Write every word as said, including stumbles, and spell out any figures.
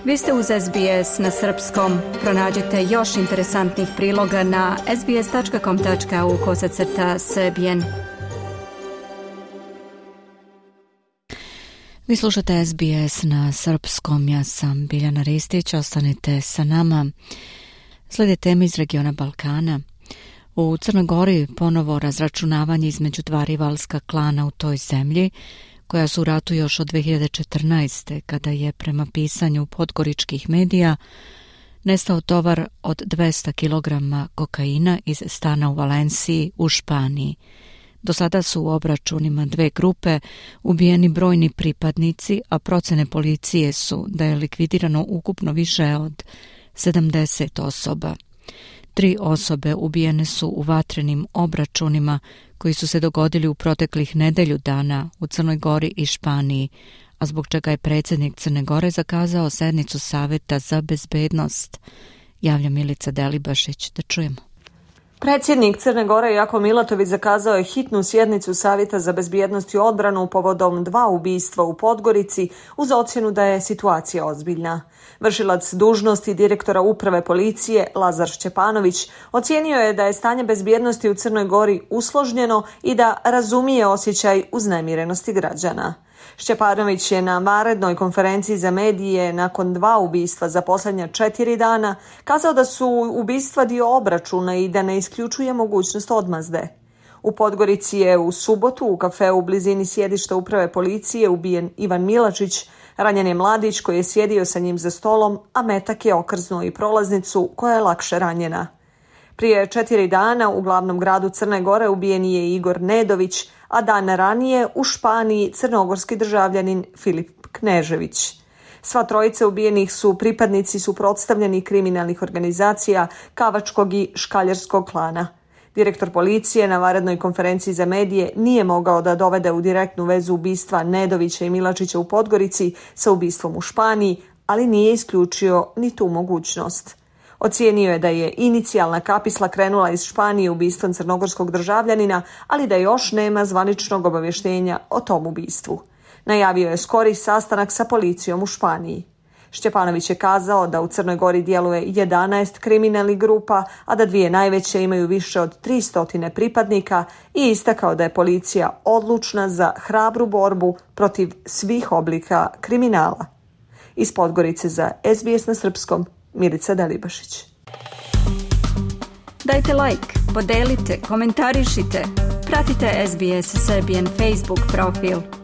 Vi ste uz S B S na srpskom. Pronađite još interesantnih priloga na sbs.com.au kosacrta srbijen. Vi slušate S B S na srpskom. Ja sam Biljana Ristić. Ostanite sa nama. Slijede teme iz regiona Balkana. U Crnoj Gori ponovo razračunavanje između dva rivalska klana u toj zemlji, koja su u ratu još od dve hiljade četrnaeste. kada je prema pisanju podgoričkih medija nestao tovar od dvesta kilograma kokaina iz stana u Valenciji u Španiji. Do sada su u obračunima dve grupe ubijeni brojni pripadnici, a procene policije su da je likvidirano ukupno više od sedamdeset osoba. Tri osobe ubijene su u vatrenim obračunima koji su se dogodili u proteklih nedelju dana u Crnoj Gori i Španiji, a zbog čega je predsjednik Crne Gore zakazao sednicu Saveta za bezbednost. Javlja Milica Delibašić, da čujemo. Predsjednik Crne Gore Jako Milatović zakazao je hitnu sjednicu Savjeta za bezbjednost i odbranu povodom dva ubistva u Podgorici uz ocjenu da je situacija ozbiljna. Vršilac dužnosti direktora uprave policije Lazar Šćepanović ocijenio je da je stanje bezbjednosti u Crnoj Gori usložnjeno i da razumije osjećaj uznemirenosti građana. Šćepanović je na vanrednoj konferenciji za medije nakon dva ubistva za posljednja četiri dana kazao da su ubistva dio obračuna i da ne isključuje mogućnost odmazde. U Podgorici je u subotu u kafeu u blizini sjedišta uprave policije ubijen Ivan Milačić, ranjen je mladić koji je sjedio sa njim za stolom, a metak je okrznuo i prolaznicu koja je lakše ranjena. Prije četiri dana u glavnom gradu Crne Gore ubijen je Igor Nedović, a dan ranije u Španiji crnogorski državljanin Filip Knežević. Sva trojica ubijenih su pripadnici suprotstavljenih kriminalnih organizacija Kavačkog i Škaljarskog klana. Direktor policije na vanrednoj konferenciji za medije nije mogao da dovede u direktnu vezu ubistva Nedovića i Milačića u Podgorici sa ubistvom u Španiji, ali nije isključio ni tu mogućnost. Ocijenio je da je inicijalna kapisla krenula iz Španije ubistvom crnogorskog državljanina, ali da još nema zvaničnog obavještenja o tom ubistvu. Najavio je skori sastanak sa policijom u Španiji. Šćepanović je kazao da u Crnoj Gori djeluje jedanaest kriminalnih grupa, a da dvije najveće imaju više od tristo pripadnika i istakao da je policija odlučna za hrabru borbu protiv svih oblika kriminala. Iz Podgorice za S B S na srpskom, Milica Delibašić. Dajte like, podelite, komentarišite, pratite S B S Serbian Facebook profil.